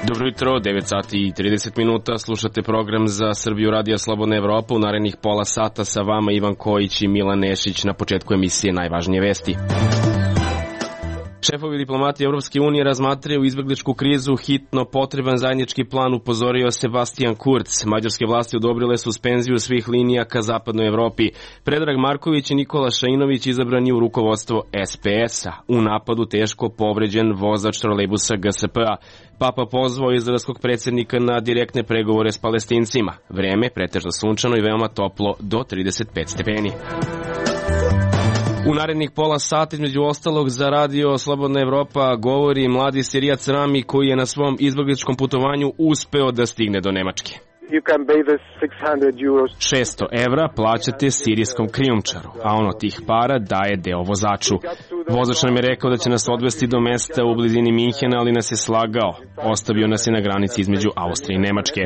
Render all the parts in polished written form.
Dobro jutro, 9 sati i 30 minuta, slušate program za Srbiju Radija Slobodna Evropa. U narednih pola sata sa vama Ivan Kojić i Milan Nešić. Na početku emisije najvažnije vesti. Šefovi diplomati Evropske unije razmatraju izbegličku krizu, hitno potreban zajednički plan, upozorio Sebastian Kurz. Mađarske vlasti odobrile suspenziju svih linija ka zapadnoj Evropi. Predrag Marković i Nikola Šainović izabrani u rukovodstvo SPS-a. U napadu teško povređen vozač trolejbusa GSP-a. Papa pozvao izraelskog predsjednika na direktne pregovore s Palestincima. Vreme pretežno sunčano i veoma toplo do 35 stepeni. U narednih pola sata, između ostalog, za radio Slobodna Evropa govori mladi Sirijac Rami koji je na svom izbegličkom putovanju uspeo da stigne do Nemačke. 600 evra plaćate sirijskom krijumčaru, a on od tih para daje deo vozaču. Vozač nam je rekao da će nas odvesti do mesta u blizini Minhena, ali nas je slagao. Ostavio nas je na granici između Austrije i Nemačke.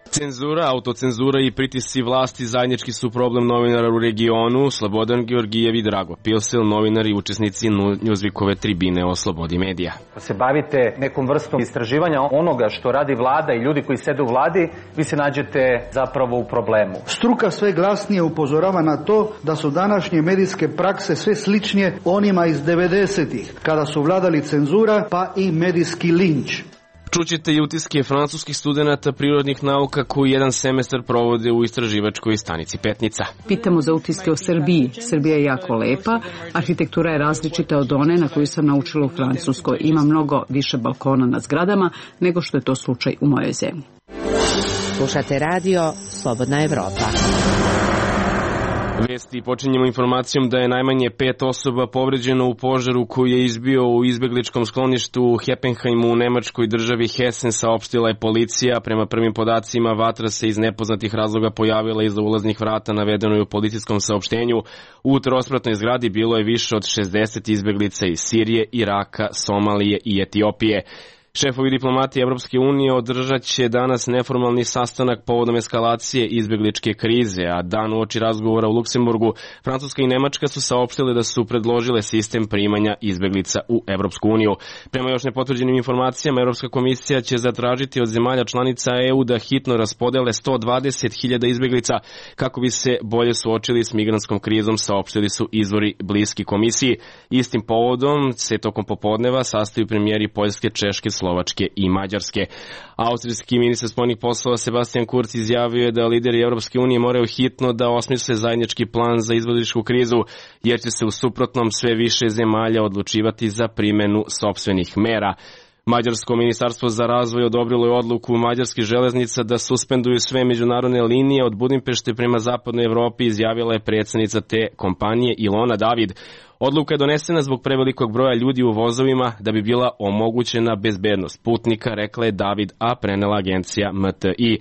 Cenzura, autocenzura i pritisci vlasti zajednički su problem novinara u regionu. Slobodan Georgijev i Drago Pilsel, novinari i učesnici Newsweekove tribine o slobodi medija. Se bavite nekom vrstom istraživanja onoga što radi vlada i ljudi koji sede u vladi, vi se nađete zapravo u problemu. Struka sve glasnije upozorava na to da su današnje medijske prakse sve sličnije onima iz 90-ih, kada su vladali cenzura pa i medijski linč. Čućete i utiske francuskih studenata prirodnih nauka koji jedan semestar provode u istraživačkoj stanici Petnica. Pitamo za utiske o Srbiji. Srbija je jako lepa, arhitektura je različita od one na koju sam naučila u Francuskoj. Ima mnogo više balkona na zgradama nego što je to slučaj u mojoj zemlji. Slušate radio Slobodna Evropa. Vesti počinjemo informacijom da je najmanje 5 osoba povređeno u požaru koji je izbio u izbegličkom skloništu u Heppenheimu u nemačkoj državi Hessen, saopštila je policija. Prema prvim podacima, vatra se iz nepoznatih razloga pojavila iza ulaznih vrata, navedeno je u policijskom saopštenju. U trospratnoj zgradi bilo je više od 60 izbeglica iz Sirije, Iraka, Somalije i Etiopije. Šefovi diplomati Evropske unije održat će danas neformalni sastanak povodom eskalacije izbegličke krize, a dan uoči razgovora u Luksemburgu Francuska i Nemačka su saopštile da su predložile sistem primanja izbeglica u Evropsku uniju. Prema još nepotvrđenim informacijama, Evropska komisija će zatražiti od zemalja članica EU da hitno raspodele 120.000 izbeglica kako bi se bolje suočili s migrantskom krizom, saopštili su izvori bliski komisiji. Istim povodom se tokom popodneva sastaju premijeri Poljske, Češke, Slovačke i Mađarske. Austrijski ministar spoljnih poslova Sebastian Kurz izjavio je da lideri Evropske unije moraju hitno da osmisle zajednički plan za izbegličku krizu, jer će se u suprotnom sve više zemalja odlučivati za primenu sopstvenih mera. Mađarsko ministarstvo za razvoj odobrilo je odluku mađarskih železnica da suspenduju sve međunarodne linije od Budimpešte prema zapadnoj Evropi, izjavila je predsjednica te kompanije Ilona David. Odluka je donesena zbog prevelikog broja ljudi u vozovima da bi bila omogućena bezbednost putnika, rekla je David, a prenela agencija MTI.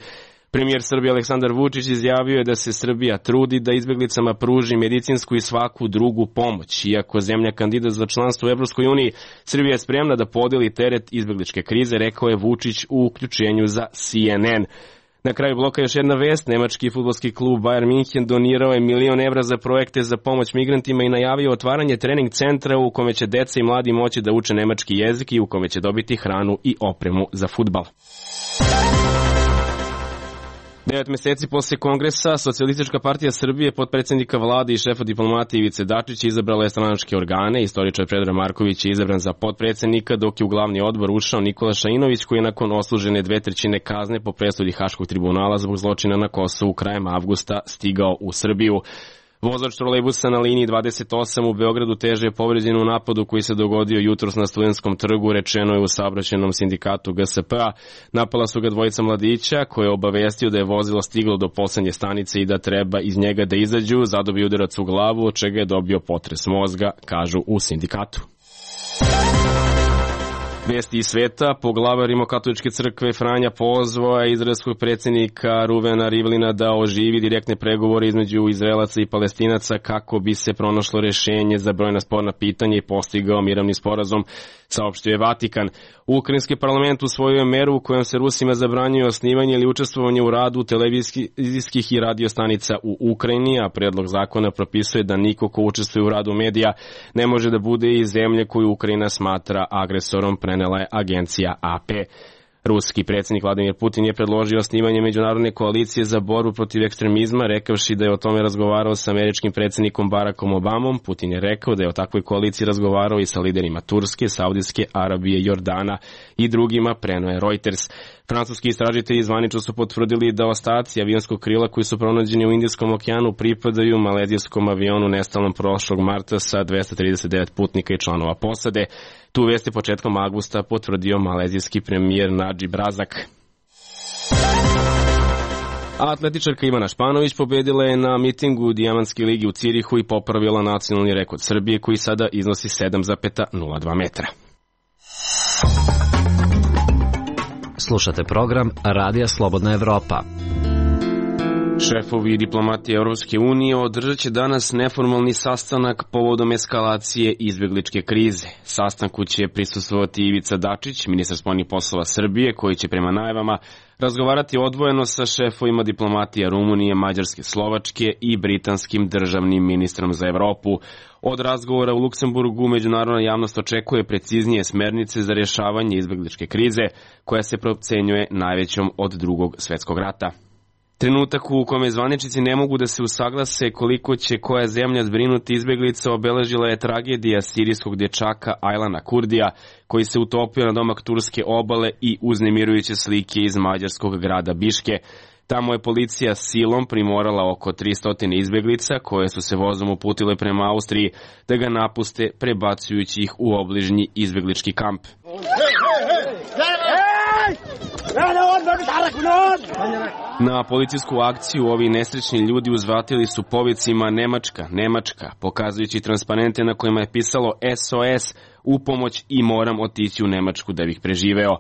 Premijer Srbije Aleksandar Vučić izjavio je da se Srbija trudi da izbeglicama pruži medicinsku i svaku drugu pomoć. Iako zemlja kandidat za članstvo u Evropskoj uniji, Srbija je spremna da podeli teret izbegličke krize, rekao je Vučić u uključenju za CNN. Na kraju bloka još jedna vest. Nemački fudbalski klub Bayern München donirao je 1 milion evra za projekte za pomoć migrantima i najavio otvaranje trening centra u kome će deca i mladi moći da uče nemački jezik i u kome će dobiti hranu i opremu za fudbal. 9 meseci posle kongresa, Socijalistička partija Srbije, potpredsjednika vlade i šefa diplomatije Ivice Dačića izabrala je stranačke organe. Istoričar Predrag Marković je izabran za potpredsjednika, dok je u glavni odbor ušao Nikola Šainović, koji je nakon odslužene 2/3 kazne po presudi Haškog tribunala zbog zločina na Kosovu krajem avgusta stigao u Srbiju. Vozač trolejbusa na liniji 28 u Beogradu teže je povređen u napadu koji se dogodio jutros na Studentskom trgu, rečeno je u saobraćajnom sindikatu GSP-a. Napala su ga dvojica mladića koje je obavestio da je vozilo stiglo do poslednje stanice i da treba iz njega da izađu. Zadobio udarac u glavu, od čega je dobio potres mozga, kažu u sindikatu. Vesti iz sveta, poglavar Rimokatoličke crkve Franja pozvao je izraelskog predsjednika Ruvena Rivlina da oživi direktne pregovore između Izraelaca i Palestinaca kako bi se pronašlo rješenje za brojna sporna pitanja i postigao mirovni sporazum, saopštio je Vatikan. Ukrajinski parlament usvojio je meru u kojom se Rusima zabranjuje osnivanje ili učestvovanje u radu televizijskih i radio stanica u Ukrajini, a predlog zakona propisuje da niko ko učestvuje u radu medija ne može da bude iz zemlje koju Ukrajina smatra agresorom, prenela je agencija AP. Ruski predsjednik Vladimir Putin je predložio osnivanje međunarodne koalicije za borbu protiv ekstremizma, rekavši da je o tome razgovarao sa američkim predsjednikom Barackom Obamom. Putin je rekao da je o takvoj koaliciji razgovarao i sa liderima Turske, Saudijske Arabije, Jordana i drugima, preneo je Reuters. Francuski istražitelji zvanično su potvrdili da ostaci avionskog krila koji su pronađeni u Indijskom okeanu pripadaju malezijskom avionu nestalom prošlog marta sa 239 putnika i članova posade. Tu vest je početkom avgusta potvrdio malezijski premijer Nadžib Razak. Atletičarka Ivana Španović pobedila je na mitingu Dijamantske ligi u Cirihu i popravila nacionalni rekord Srbije koji sada iznosi 7,02 metra. Slušate program Radija Slobodna Evropa. Šefovi diplomatije Europske unije održat će danas neformalni sastanak povodom eskalacije izbjegličke krize. Sastanku će prisustvovati Ivica Dačić, ministar spoljnih poslova Srbije, koji će prema najavama razgovarati odvojeno sa šefovima diplomatija Rumunije, Mađarske, Slovačke i britanskim državnim ministrom za Evropu. Od razgovora u Luksemburgu međunarodna javnost očekuje preciznije smernice za rješavanje izbjegličke krize, koja se procenjuje najvećom od Drugog svjetskog rata. Trenutak u kome zvaničnici ne mogu da se usaglase koliko će koja zemlja zbrinuti izbjeglica obeležila je tragedija sirijskog dječaka Aylana Kurdija, koji se utopio na domak turske obale i uznemirujuće slike iz mađarskog grada Biške. Tamo je policija silom primorala oko 300 izbjeglica koje su se vozom uputile prema Austriji da ga napuste, prebacujući ih u obližnji izbjeglički kamp. Na policijsku akciju ovi nesrećni ljudi uzvratili su povicima Nemačka, Nemačka, pokazujući transparente na kojima je pisalo SOS, u pomoć i moram otići u Nemačku da bih preživeo.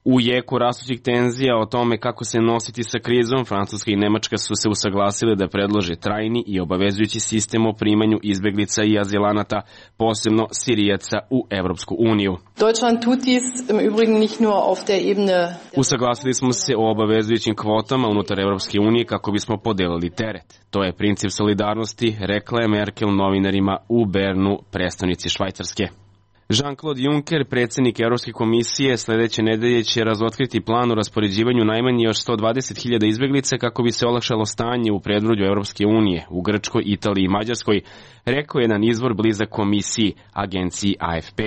U jeku rastućih tenzija o tome kako se nositi sa krizom, Francuska i Nemačka su se usaglasile da predlože trajni i obavezujući sistem o primanju izbjeglica i azilanata, posebno Sirijaca, u Evropsku uniju. Deutschland tut dies im Übrigen nicht nur auf der Ebene. Usaglasili smo se o obavezujućim kvotama unutar Evropske unije kako bismo podelili teret. To je princip solidarnosti, rekla je Merkel novinarima u Bernu, prestonici Švajcarske. Jean-Claude Juncker, predsjednik Europske komisije, sljedeće nedelje će razotkriti plan o raspoređivanju najmanje još 120.000 izbjeglica kako bi se olakšalo stanje u predvorju Europske unije, u Grčkoj, Italiji i Mađarskoj, rekao je jedan izvor blizak komisiji, agenciji AFP.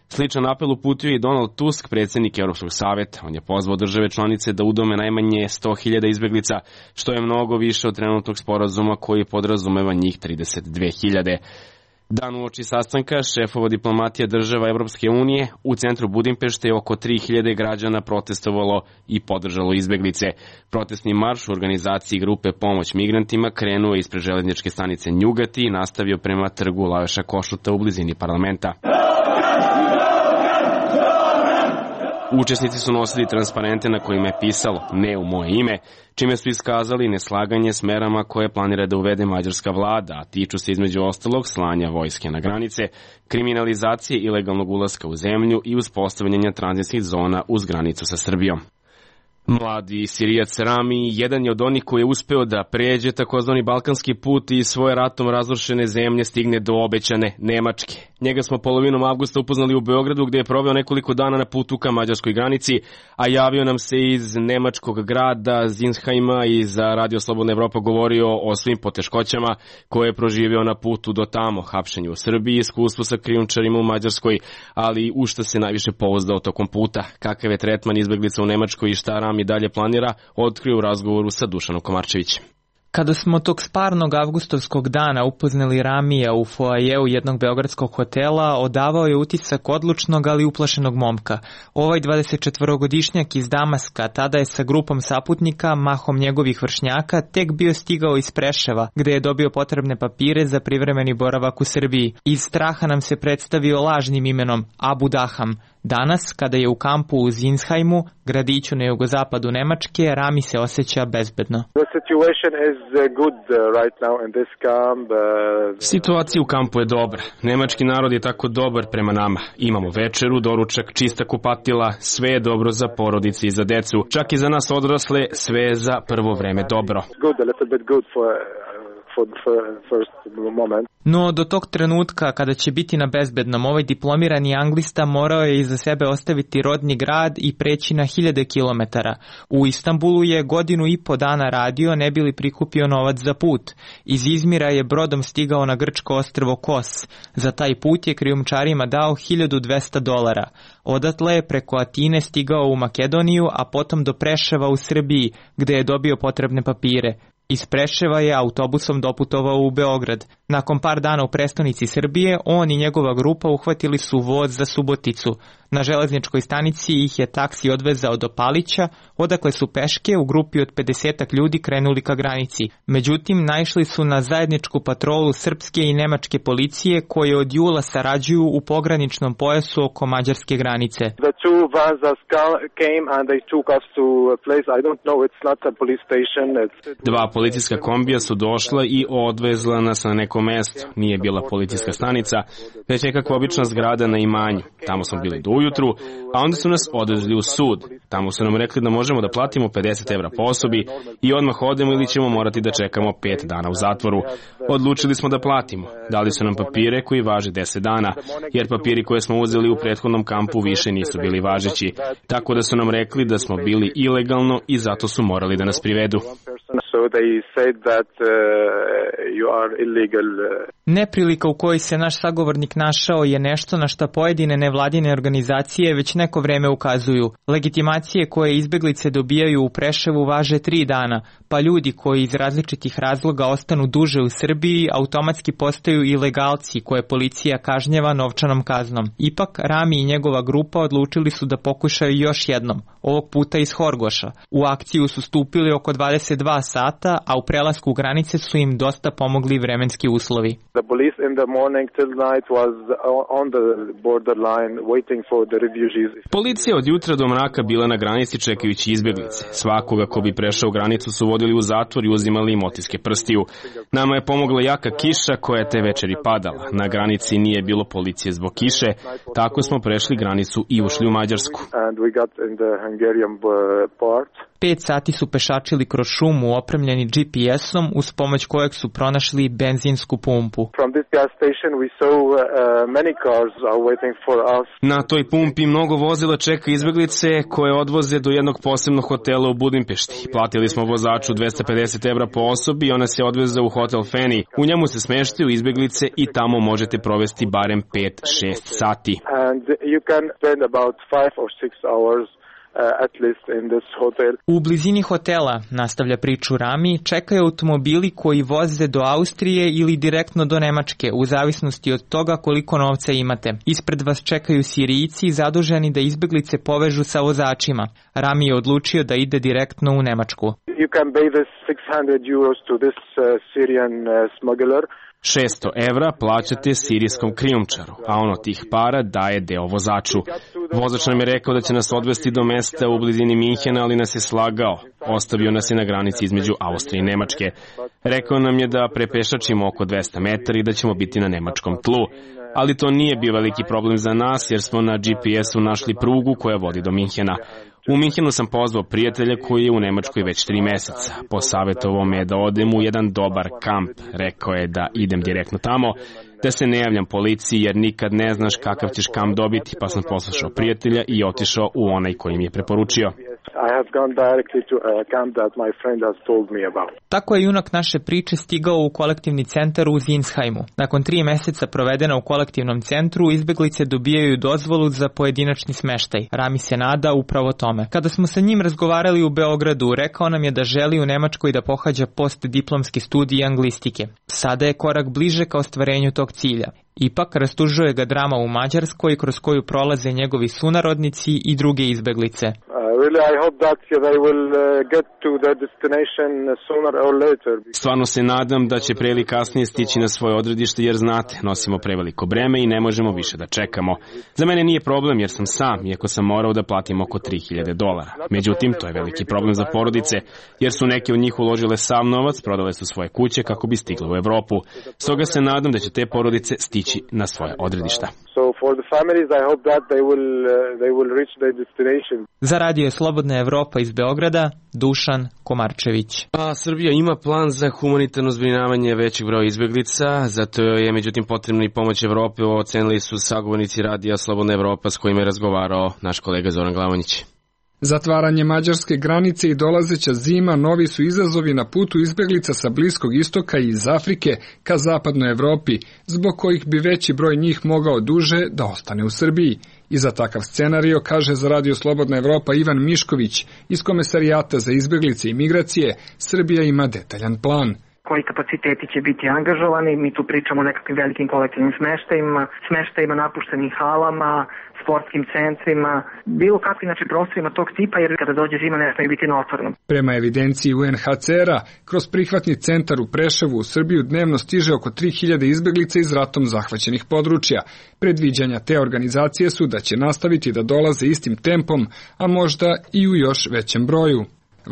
Sličan apel uputio i Donald Tusk, predsjednik Europskog savjeta. On je pozvao države članice da udome najmanje 100.000 izbjeglica, što je mnogo više od trenutnog sporazuma koji podrazumeva njih 32.000. Dan uoči sastanka šefova diplomatija država Evropske unije u centru Budimpešte je oko 3.000 građana protestovalo i podržalo izbjeglice. Protestni marš u organizaciji grupe Pomoć migrantima krenuo ispred željezničke stanice Njugati i nastavio prema trgu Lajoša Košuta u blizini parlamenta. Učesnici su nosili transparente na kojima je pisalo "Ne u moje ime", čime su iskazali neslaganje s merama koje planira da uvede mađarska vlada, a tiču se između ostalog slanja vojske na granice, kriminalizacije ilegalnog ulaska u zemlju i uspostavljanja tranzitnih zona uz granicu sa Srbijom. Mladi Sirijac Rami jedan je od onih koji je uspeo da pređe takozvani balkanski put i svoje ratom razrušene zemlje stigne do obećane Nemačke. Njega smo polovinom avgusta upoznali u Beogradu gdje je proveo nekoliko dana na putu ka mađarskoj granici, a javio nam se iz nemačkog grada Zinsheima i za Radio Slobodna Evropa govorio o svim poteškoćama koje je proživio na putu do tamo, hapšenju u Srbiji, iskustvu sa krijumčarima u Mađarskoj, ali u šta se najviše pouzdao tokom puta, kakav je tretman izbjeglica u Nemačkoj i šta Rami dalje planira, otkrio u razgovoru sa Dušanom Komarčevićem. Kada smo tog sparnog avgustovskog dana upoznali Ramija u foajeu jednog beogradskog hotela, odavao je utisak odlučnog, ali uplašenog momka. Ovaj 24-godišnjak iz Damaska tada je sa grupom saputnika, mahom njegovih vršnjaka, tek bio stigao iz Preševa, gde je dobio potrebne papire za privremeni boravak u Srbiji. Iz straha nam se predstavio lažnim imenom Abu Daham. Danas, kada je u kampu u Zinsheimu, gradiću na jugozapadu Nemačke, Rami se osjeća bezbedno. Situacija u kampu je dobra. Nemački narod je tako dobar prema nama. Imamo večeru, doručak, čista kupatila, sve je dobro za porodice i za decu. Čak i za nas odrasle, sve je za prvo vreme dobro. No, do tog trenutka kada će biti na bezbednom, ovaj diplomirani anglista morao je iza sebe ostaviti rodni grad i preći na 1000 kilometara. U Istanbulu je 1,5 godina radio, ne bi li prikupio novac za put. Iz Izmira je brodom stigao na grčko ostrvo Kos. Za taj put je krijumčarima dao $1200. Odatle je preko Atine stigao u Makedoniju, a potom do Preševa u Srbiji, gde je dobio potrebne papire. Iz Preševa je autobusom doputovao u Beograd. Nakon par dana u prestonici Srbije, on i njegova grupa uhvatili su voz za Suboticu. Na železničkoj stanici ih je taksi odvezao do Palića, odakle su peške u grupi od 50 ljudi krenuli ka granici. Međutim, naišli su na zajedničku patrolu srpske i nemačke policije koje od jula sarađuju u pograničnom pojasu oko mađarske granice. Dva policijska kombija su došla i odvezla nas na neko mesto. Nije bila policijska stanica, već nekakva obična zgrada na imanju. Tamo smo bili do ujutru, a onda su nas odvezli u sud. Tamo su nam rekli da možemo da platimo €50 po osobi i odmah odemo ili ćemo morati da čekamo 5 dana u zatvoru. Odlučili smo da platimo. Dali su nam papire koji važe 10 dana, jer papiri koje smo uzeli u prethodnom kampu više nisu bili važeći. Tako da su nam rekli da smo bili ilegalno i zato su morali da nas privedu. Neprilika u kojoj se naš sagovornik našao je nešto na šta pojedine nevladine organizacije već neko vreme ukazuju. Legitimacije koje izbeglice dobijaju u Preševu važe 3 dana, pa ljudi koji iz različitih razloga ostanu duže u Srbiji automatski postaju ilegalci koje policija kažnjava novčanom kaznom. Ipak, Rami i njegova grupa odlučili su da pokušaju još jednom, ovog puta iz Horgoša. U akciju su stupili oko 22 sata, a u prelasku granice su im dosta pomogli vremenski uslovi. Policija od jutra do mraka bila na granici čekajući izbeglice. Svakoga ko bi prešao granicu su vodili u zatvor i uzimali im otiske prstiju. Nama je pomogla jaka kiša koja je te večeri padala. Na granici nije bilo policije zbog kiše, tako smo prešli granicu i ušli u Mađarsku. 5 sati su pešačili kroz šumu opremljeni GPS-om uz pomoć kojeg su pronašli benzinsku pumpu. Na toj pumpi mnogo vozila čeka izbeglice koje odvoze do jednog posebnog hotela u Budimpešti. Platili smo vozaču €250 po osobi i ona se odveze u hotel Feni. U njemu se smeštaju izbeglice i tamo možete provesti barem 5-6 sati. U blizini hotela, nastavlja priču Rami, čekaju automobili koji voze do Austrije ili direktno do Nemačke, u zavisnosti od toga koliko novca imate. Ispred vas čekaju Sirijci zaduženi da izbeglice povežu sa vozačima. Rami je odlučio da ide direktno u Nemačku. €600 plaćate sirijskom krijumčaru, a on od tih para daje deo vozaču. Vozač nam je rekao da će nas odvesti do mesta u blizini Minhena, ali nas je slagao. Ostavio nas je na granici između Austrije i Nemačke. Rekao nam je da prepešačimo oko 200 metara i da ćemo biti na nemačkom tlu. Ali to nije bio veliki problem za nas jer smo na GPS-u našli prugu koja vodi do Minhena. U Minhenu sam pozvao prijatelja koji je u Nemačkoj već 3 meseca. Posavjetovao me da odem u jedan dobar kamp. Rekao je da idem direktno tamo, da se ne javljam policiji jer nikad ne znaš kakav ćeš kamp dobiti, pa sam poslušao prijatelja i otišao u onaj koji mi je preporučio. Tako je junak naše priče stigao u kolektivni centar u Zinsheimu. Nakon 3 meseca provedena u kolektivnom centru, izbeglice dobijaju dozvolu za pojedinačni smeštaj. Rami se nada upravo tome. Kada smo sa njim razgovarali u Beogradu, rekao nam je da želi u Nemačkoj da pohađa postdiplomski studij anglistike. Sada je korak bliže ka ostvarenju tog cilja. Ipak rastužuje ga drama u Mađarskoj kroz koju prolaze njegovi sunarodnici i druge izbeglice. Stvarno se nadam da će pre ili kasnije stići na svoje odredište, jer znate, nosimo preveliko breme i ne možemo više da čekamo. Za mene nije problem jer sam sam, iako sam morao da platim oko $3.000. Međutim, to je veliki problem za porodice, jer su neke od njih uložile sav novac, prodale su svoje kuće kako bi stigle u Evropu. Stoga se nadam da će te porodice stići na svoje odredišta. Za radio Slobodna Evropa iz Beograda, Dušan Komarčević. A Srbija ima plan za humanitarno zbrinjavanje većeg broja izbeglica, zato je međutim potrebna i pomoć Evrope, ocenili su sagovornici radija Slobodna Evropa s kojima je razgovarao naš kolega Zoran Glavonjić. Zatvaranje mađarske granice i dolazeća zima novi su izazovi na putu izbeglica sa Bliskog istoka i iz Afrike ka zapadnoj Evropi, zbog kojih bi veći broj njih mogao duže da ostane u Srbiji. I za takav scenario, kaže za radio Slobodna Evropa Ivan Mišković iz Komesarijata za izbeglice i migracije, Srbija ima detaljan plan. Koji kapaciteti će biti angažovani, mi tu pričamo o nekakvim velikim kolektivnim smeštajima, napuštenim halama, sportskim centrima, bilo kakvim prostorima tog tipa, jer kada dođe zima ne smije biti na otvorenom. Prema evidenciji UNHCR-a, kroz prihvatni centar u Preševu u Srbiju dnevno stiže oko 3.000 izbeglica iz ratom zahvaćenih područja. Predviđanja te organizacije su da će nastaviti da dolaze istim tempom, a možda i u još većem broju.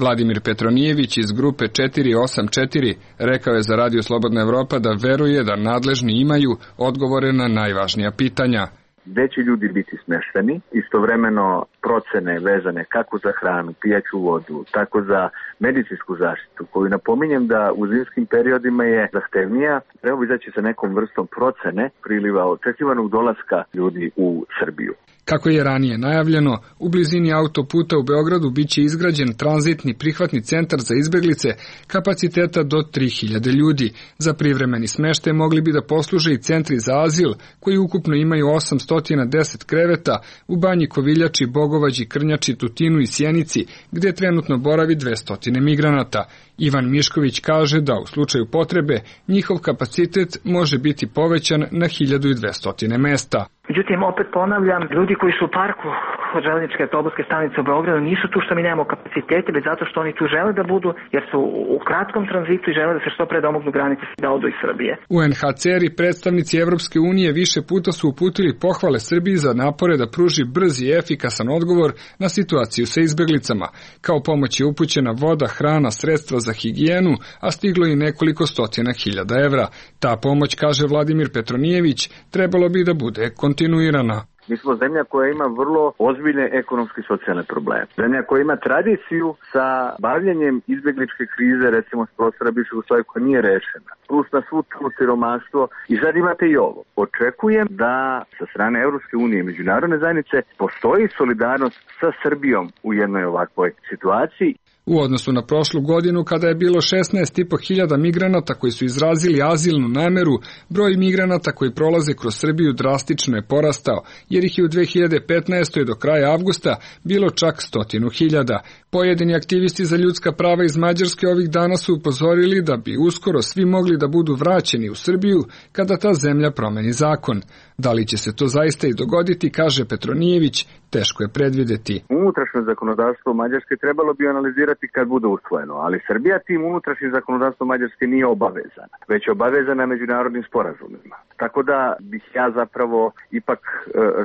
Vladimir Petronijević iz grupe 484 rekao je za radio Slobodna Evropa da veruje da nadležni imaju odgovore na najvažnija pitanja. Gde će ljudi biti smešteni, istovremeno procene vezane kako za hranu, pijaću vodu, tako za medicinsku zaštitu, koju napominjem da u zimskim periodima je zahtevnija, treba izaći sa nekom vrstom procene priliva očekivanog dolaska ljudi u Srbiju. Kako je ranije najavljeno, u blizini autoputa u Beogradu biće izgrađen tranzitni prihvatni centar za izbeglice kapaciteta do 3.000 ljudi. Za privremeni smeštaj mogli bi da posluže i centri za azil, koji ukupno imaju 810 kreveta u Banji Koviljači, Bogovađi, Krnjači, Tutinu i Sjenici, gde trenutno boravi 200 migranata. Ivan Mišković kaže da u slučaju potrebe njihov kapacitet može biti povećan na 1.200 mesta. Međutim, opet ponavljam, ljudi koji su u parku od železničke autobuske stanice u Beogradu nisu tu što mi nemamo kapacitete, već zato što oni tu žele da budu, jer su u kratkom tranzitu i žele da se što pre domognu granice da odu iz Srbije. UNHCR i predstavnici Evropske unije više puta su uputili pohvale Srbiji za napore da pruži brz i efikasan odgovor na situaciju sa izbeglicama. Kao pomoć je upućena voda, hrana, sredstva za higijenu, a stiglo i nekoliko stotina hiljada evra. Ta pomoć, kaže Vladimir Petronijević, trebalo bi da bude kontinuirana. Mi smo zemlja koja ima vrlo ozbiljne ekonomske i socijalne probleme. Zemlja koja ima tradiciju sa bavljenjem izbegličke krize, recimo s prostora bivšeg Jugoslavije, koja nije rešena. Plus na svu tu siromaštvo. I sad imate i ovo. Očekujem da sa strane Evropske unije i međunarodne zajednice postoji solidarnost sa Srbijom u jednoj ovakvoj situaciji. U odnosu na prošlu godinu, kada je bilo 16.500 migranata koji su izrazili azilnu nameru, broj migranata koji prolaze kroz Srbiju drastično je porastao, jer ih je u 2015. do kraja avgusta bilo čak 100.000. Pojedini aktivisti za ljudska prava iz Mađarske ovih dana su upozorili da bi uskoro svi mogli da budu vraćeni u Srbiju kada ta zemlja promeni zakon. Da li će se to zaista i dogoditi, kaže Petronijević, teško je predvideti. Unutrašnje zakonodavstvo Mađarske trebalo bi analizirati kad bude usvojeno, ali Srbija tim unutrašnjim zakonodavstvom Mađarske nije obavezana, već je obavezana međunarodnim sporazumima. Tako da bih ja zapravo ipak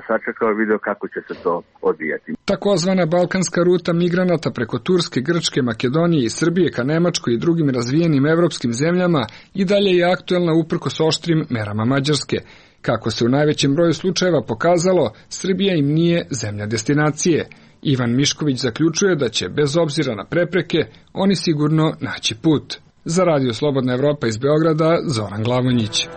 sačekao i video kako će se to odvijati. Takozvana balkanska ruta migranata preko Turske, Grčke, Makedonije i Srbije ka Nemačkoj i drugim razvijenim evropskim zemljama i dalje je aktuelna uprkos oštrim merama Mađarske. Kako se u najvećem broju slučajeva pokazalo, Srbija im nije zemlja destinacije. Ivan Mišković zaključuje da će, bez obzira na prepreke, oni sigurno naći put. Za radio Slobodna Evropa iz Beograda, Zoran Glavonjić.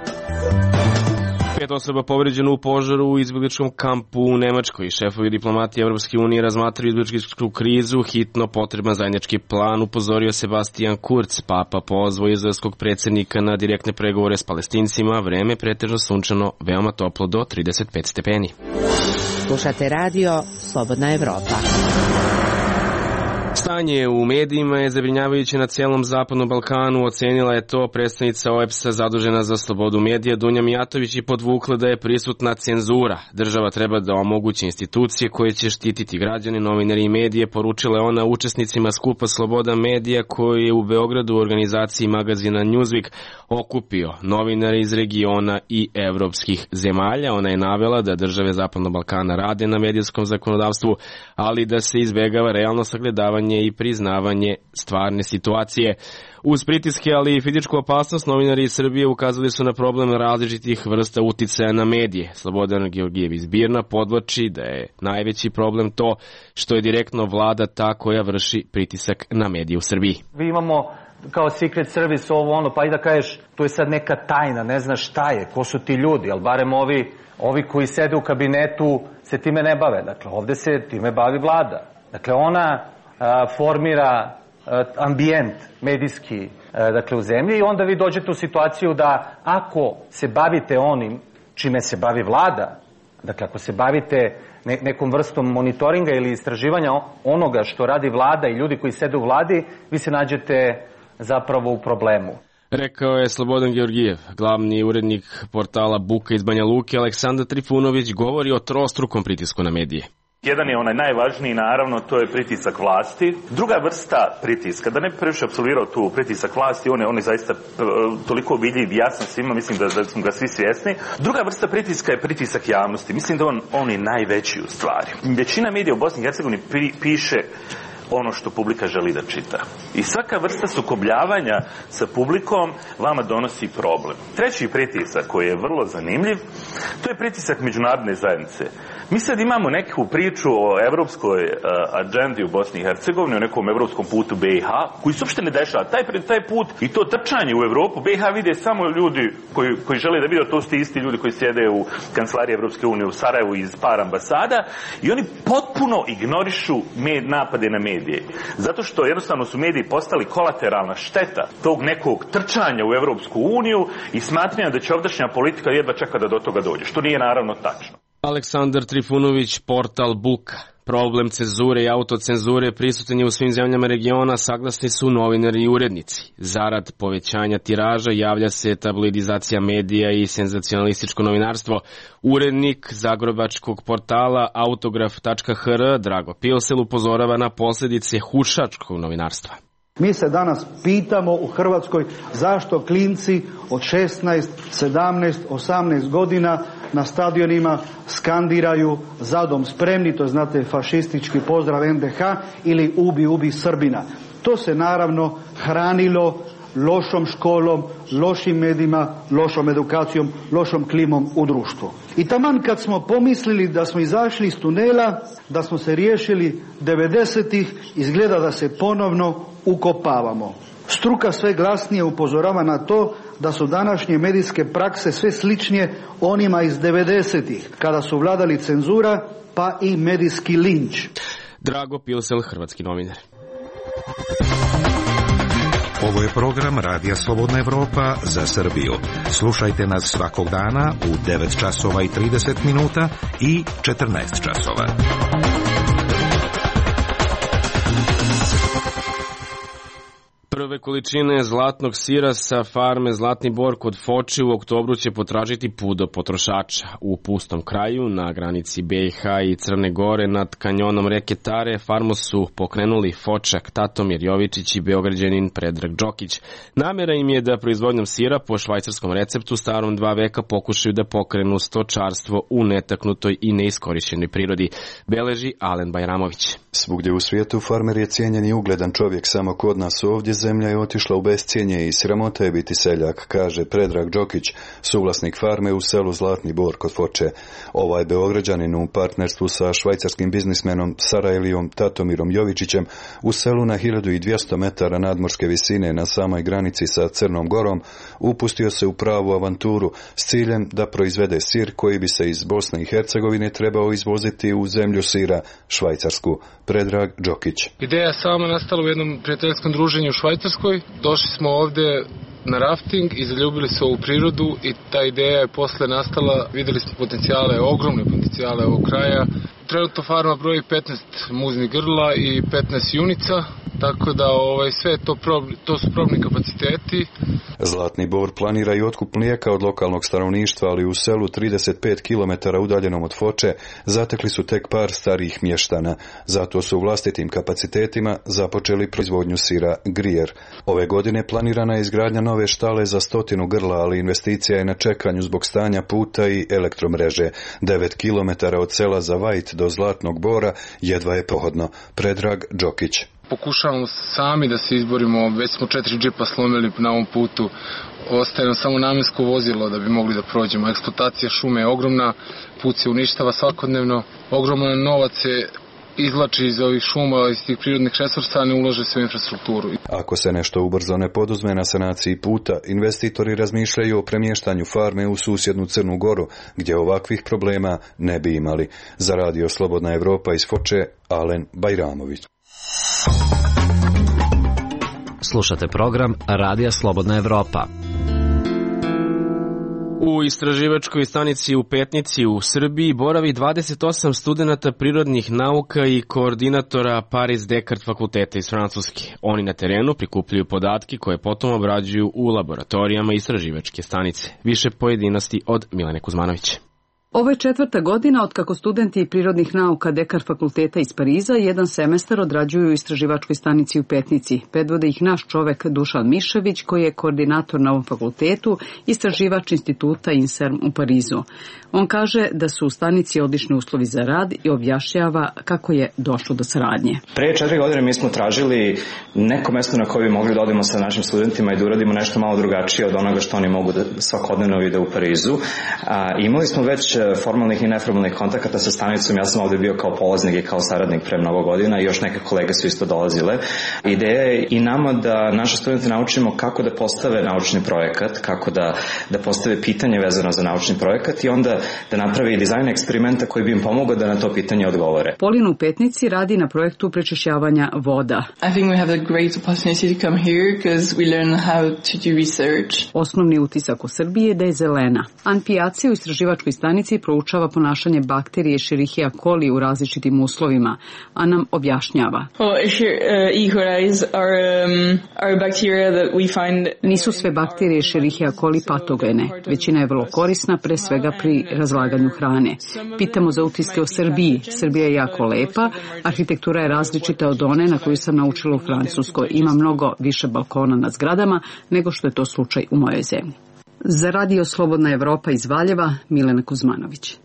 5 osoba povređeno u požaru u izbegličkom kampu u Nemačkoj. Šefovi diplomatije Evropske unije razmatraju izbegličku krizu, hitno potreban zajednički plan, upozorio Sebastian Kurz. Papa pozvao izraelskog predsjednika na direktne pregovore s Palestincima. Vreme pretežno sunčano, veoma toplo do 35 stepeni. Slušate radio Slobodna Evropa. Stanje u medijima je zabrinjavajuće na cijelom Zapadnom Balkanu, ocenila je to predstavnica OEBS-a zadužena za slobodu medija Dunja Mijatović i podvukla da je prisutna cenzura. Država treba da omogući institucije koje će štititi građane, novinari i medije, poručila je ona učesnicima skupa Sloboda medija koji je u Beogradu u organizaciji magazina Newsweek okupio novinare iz regiona i evropskih zemalja. Ona je navela da države Zapadnog Balkana rade na medijskom zakonodavstvu, ali da se izbegava realno sagledavanje i priznavanje stvarne situacije. Uz pritiske, ali i fizičku opasnost, novinari iz Srbije ukazali su na problem različitih vrsta uticaja na medije. Slobodan Georgijev iz Birna podvlači da je najveći problem to što je direktno vlada ta koja vrši pritisak na medije u Srbiji. Mi imamo kao secret service pa i da kažeš, to je sad neka tajna, ne znaš šta je, ko su ti ljudi, ali barem ovi koji sede u kabinetu se time ne bave. Dakle, ovde se time bavi vlada. Dakle, ona formira ambijent medijski u zemlji i onda vi dođete u situaciju da ako se bavite onim čime se bavi vlada, dakle ako se bavite nekom vrstom monitoringa ili istraživanja onoga što radi vlada i ljudi koji sede u vladi, vi se nađete zapravo u problemu. Rekao je Slobodan Georgijev, glavni urednik portala Buka iz Banja Luke. Aleksandar Trifunović govori o trostrukom pritisku na medije. Jedan je onaj najvažniji, naravno, to je pritisak vlasti. Druga vrsta pritiska, da ne bi previše apsolvirao tu pritisak vlasti, on je zaista toliko vidljiv, jasan svima, mislim da smo ga svi svjesni. Druga vrsta pritiska je pritisak javnosti. Mislim da on je najveći u stvari. Većina medija u Bosni i Hercegovini piše ono što publika želi da čita. I svaka vrsta sukobljavanja sa publikom vama donosi problem. Treći pritisak koji je vrlo zanimljiv, to je pritisak međunarodne zajednice. Mi sad imamo neku priču o evropskoj agendi u Bosni i Hercegovini, o nekom evropskom putu BiH, koji se uopšte ne dešava. Taj put i to trčanje u Evropu, BiH vide samo ljudi koji žele da vide, to su ti isti ljudi koji sjede u kancelariji Evropske unije u Sarajevu iz par ambasada i oni potpuno ignorišu napade na medije. Zato što jednostavno su mediji postali kolateralna šteta tog nekog trčanja u Evropsku uniju i smatranja da će ovdašnja politika jedva čeka da do toga dođe, što nije naravno tačno. Aleksandar Trifunović, portal Buka. Problem cenzure i autocenzure prisutan je u svim zemljama regiona, saglasni su novinari i urednici. Zarad povećanja tiraža javlja se tabloidizacija medija i senzacionalističko novinarstvo. Urednik zagrebačkog portala autograf.hr Drago Pilsel upozorava na posljedice hušačkog novinarstva. Mi se danas pitamo u Hrvatskoj zašto klinci od 16, 17, 18 godina na stadionima skandiraju "Za dom spremni", to znate fašistički pozdrav NDH, ili "Ubi Srbina". To se naravno hranilo lošom školom, lošim medijima, lošom edukacijom, lošom klimom u društvu. I taman kad smo pomislili da smo izašli iz tunela, da smo se riješili 90-ih, izgleda da se ponovno ukopavamo. Struka sve glasnije upozorava na to da su današnje medijske prakse sve sličnije onima iz 90-ih, kada su vladali cenzura pa i medijski linč. Drago Pilsel, hrvatski novinar. Ovo je program Radija Slobodna Evropa za Srbiju. Slušajte nas svakog dana u 9 časova i 30 minuta i 14 časova. Prve količine zlatnog sira sa farme Zlatni Bor kod Foče u oktobru će potražiti put do potrošača. U pustom kraju, na granici BiH i Crne Gore, nad kanjonom reke Tare, farmu su pokrenuli Fočak Tatomir Jovičić i Beograđanin Predrag Đokić. Namera im je da proizvodnjom sira po švajcarskom receptu starom 2 veka pokušaju da pokrenu stočarstvo u netaknutoj i neiskorišćenoj prirodi, beleži Alen Bajramović. Svugdje u svijetu farmer je cijenjen i ugledan čovjek, samo kod nas ovdje zemlja je otišla u bescijenje i sramota je biti seljak, kaže Predrag Đokić, suvlasnik farme u selu Zlatni Bor kod Foče. Ovaj Beograđanin u partnerstvu sa švajcarskim biznismenom Sarajlijom Tatomirom Jovičićem u selu na 1200 metara nadmorske visine na samoj granici sa Crnom Gorom upustio se u pravu avanturu s ciljem da proizvede sir koji bi se iz Bosne i Hercegovine trebao izvoziti u zemlju sira, Švajcarsku. Predrag Đokić. Ideja sama nastala u jednom prijateljskom druženju u Švajcarskoj. Došli smo ovdje na rafting i zaljubili se u prirodu i ta ideja je posle nastala. Vidjeli smo potencijale, ogromne potencijale ovog kraja. Trenutno farma broji 15 muznih grla i 15 junica, tako da sve to su probni kapaciteti. Zlatni Bor planira i otkup mlijeka od lokalnog stanovništva, ali u selu 35 km udaljenom od Foče zatekli su tek par starijih mještana. Zato su u vlastitim kapacitetima započeli proizvodnju sira Grijer. Ove godine planirana je izgradnja nove štale za 100 grla, ali investicija je na čekanju zbog stanja puta i elektromreže. 9 km od sela Zavajt do Zlatnog Bora jedva je prohodno. Predrag Đokić. Pokušavamo sami da se izborimo, već smo 4 džipa slomili na ovom putu, ostaje nam samo namjensko vozilo da bi mogli da prođemo. Eksploatacija šume je ogromna, put se uništava svakodnevno, ogroman novac se izvlači iz ovih šuma, iz tih prirodnih resursa, ne ulaže se u infrastrukturu. Ako se nešto ubrzo ne poduzme na sanaciji puta, investitori razmišljaju o premještanju farme u susjednu Crnu Goru, gdje ovakvih problema ne bi imali. Za Radio Slobodna Evropa iz Foče, Alen Bajramović. Slušate program Radija Slobodna Evropa. U istraživačkoj stanici u Petnici u Srbiji boravi 28 studenata prirodnih nauka i koordinatora Paris Descartes fakulteta iz Francuske. Oni na terenu prikupljaju podatke koje potom obrađuju u laboratorijama istraživačke stanice. Više pojedinosti od Milene Kuzmanovića. Ovo je 4. godina od kako studenti prirodnih nauka Descartes fakulteta iz Pariza jedan semestar odrađuju u istraživačkoj stanici u Petnici. Predvode ih naš čovek Dušan Mišević, koji je koordinator na ovom fakultetu, istraživač instituta INSERM u Parizu. On kaže da su u stanici odlični uslovi za rad i objašnjava kako je došlo do saradnje. Pre 4 godine mi smo tražili neko mesto na koje bi mogli da odemo sa našim studentima i da uradimo nešto malo drugačije od onoga što oni mogu da svakodnevno vide u Parizu. Imali smo već formalnih i neformalnih kontakata sa stanicom. Ja sam ovdje bio kao polaznik i kao saradnik pre mnogo godina i još neke kolege su isto dolazile. Ideja je i nama da naše studente naučimo kako da postave naučni projekat, kako da postave pitanje vezano za naučni projekat i onda da napravi dizajn eksperimenta koji bi im pomogao da na to pitanje odgovore. Polin u Petnici radi na projektu prečišćavanja voda. I think we have a great opportunity to come here because we learn how to do research. Osnovni utisak o Srbiji je da je zelena. An Pijaci u istraživačkoj stanici proučava ponašanje bakterije Escherichia coli u različitim uslovima, a nam objašnjava. E. coli are bacteria that we find. Nisu sve bakterije Escherichia coli patogene. Većina je vrlo korisna, pre svega pri razlaganju hrane. Pitamo za utiske o Srbiji. Srbija je jako lepa, arhitektura je različita od one na koju sam naučila u Francuskoj. Ima mnogo više balkona na zgradama nego što je to slučaj u mojoj zemlji. Za Radio Slobodna Evropa iz Valjeva, Milena Kuzmanović.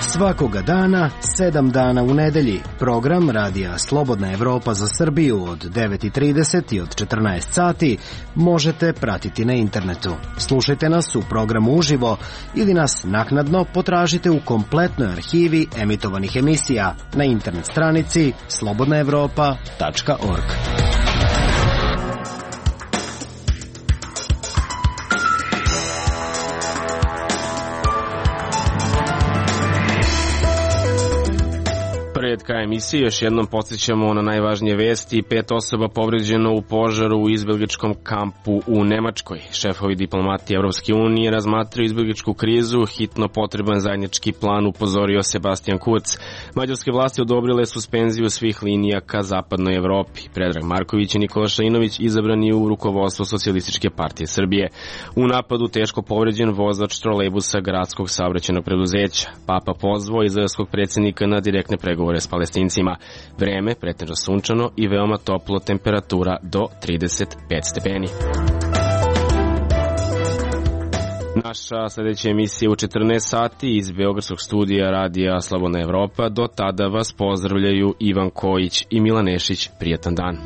Svakoga dana, 7 dana u nedelji. Program Radija Slobodna Evropa za Srbiju od 9:30 i od 14 sati možete pratiti na internetu. Slušajte nas u programu uživo ili nas naknadno potražite u kompletnoj arhivi emitovanih emisija na internet stranici slobodnaevropa.org. Pred krajem emisije još jednom podsjećamo na najvažnije vesti. 5 osoba povređeno u požaru u izbjegličkom kampu u Nemačkoj. Šefovi diplomatije Evropske unije razmatraju izbjegličku krizu. Hitno potreban zajednički plan, upozorio Sebastian Kurz. Mađarske vlasti odobrile suspenziju svih linija ka zapadnoj Evropi. Predrag Marković i Nikola Šainović izabrani u rukovodstvo Socijalističke partije Srbije. U napadu teško povređen vozač trolejbusa gradskog saobraćajnog preduzeća. Papa pozvao izraelskog predsjednika na direktne pregovore s Palestincima. Vreme pretežno sunčano i veoma toplo, temperatura do 35 stepeni. Naša sljedeća emisija u 14 sati iz Beogradskog studija Radija Slobodna Evropa. Do tada vas pozdravljaju Ivan Kojić i Milan Nešić. Prijetan dan.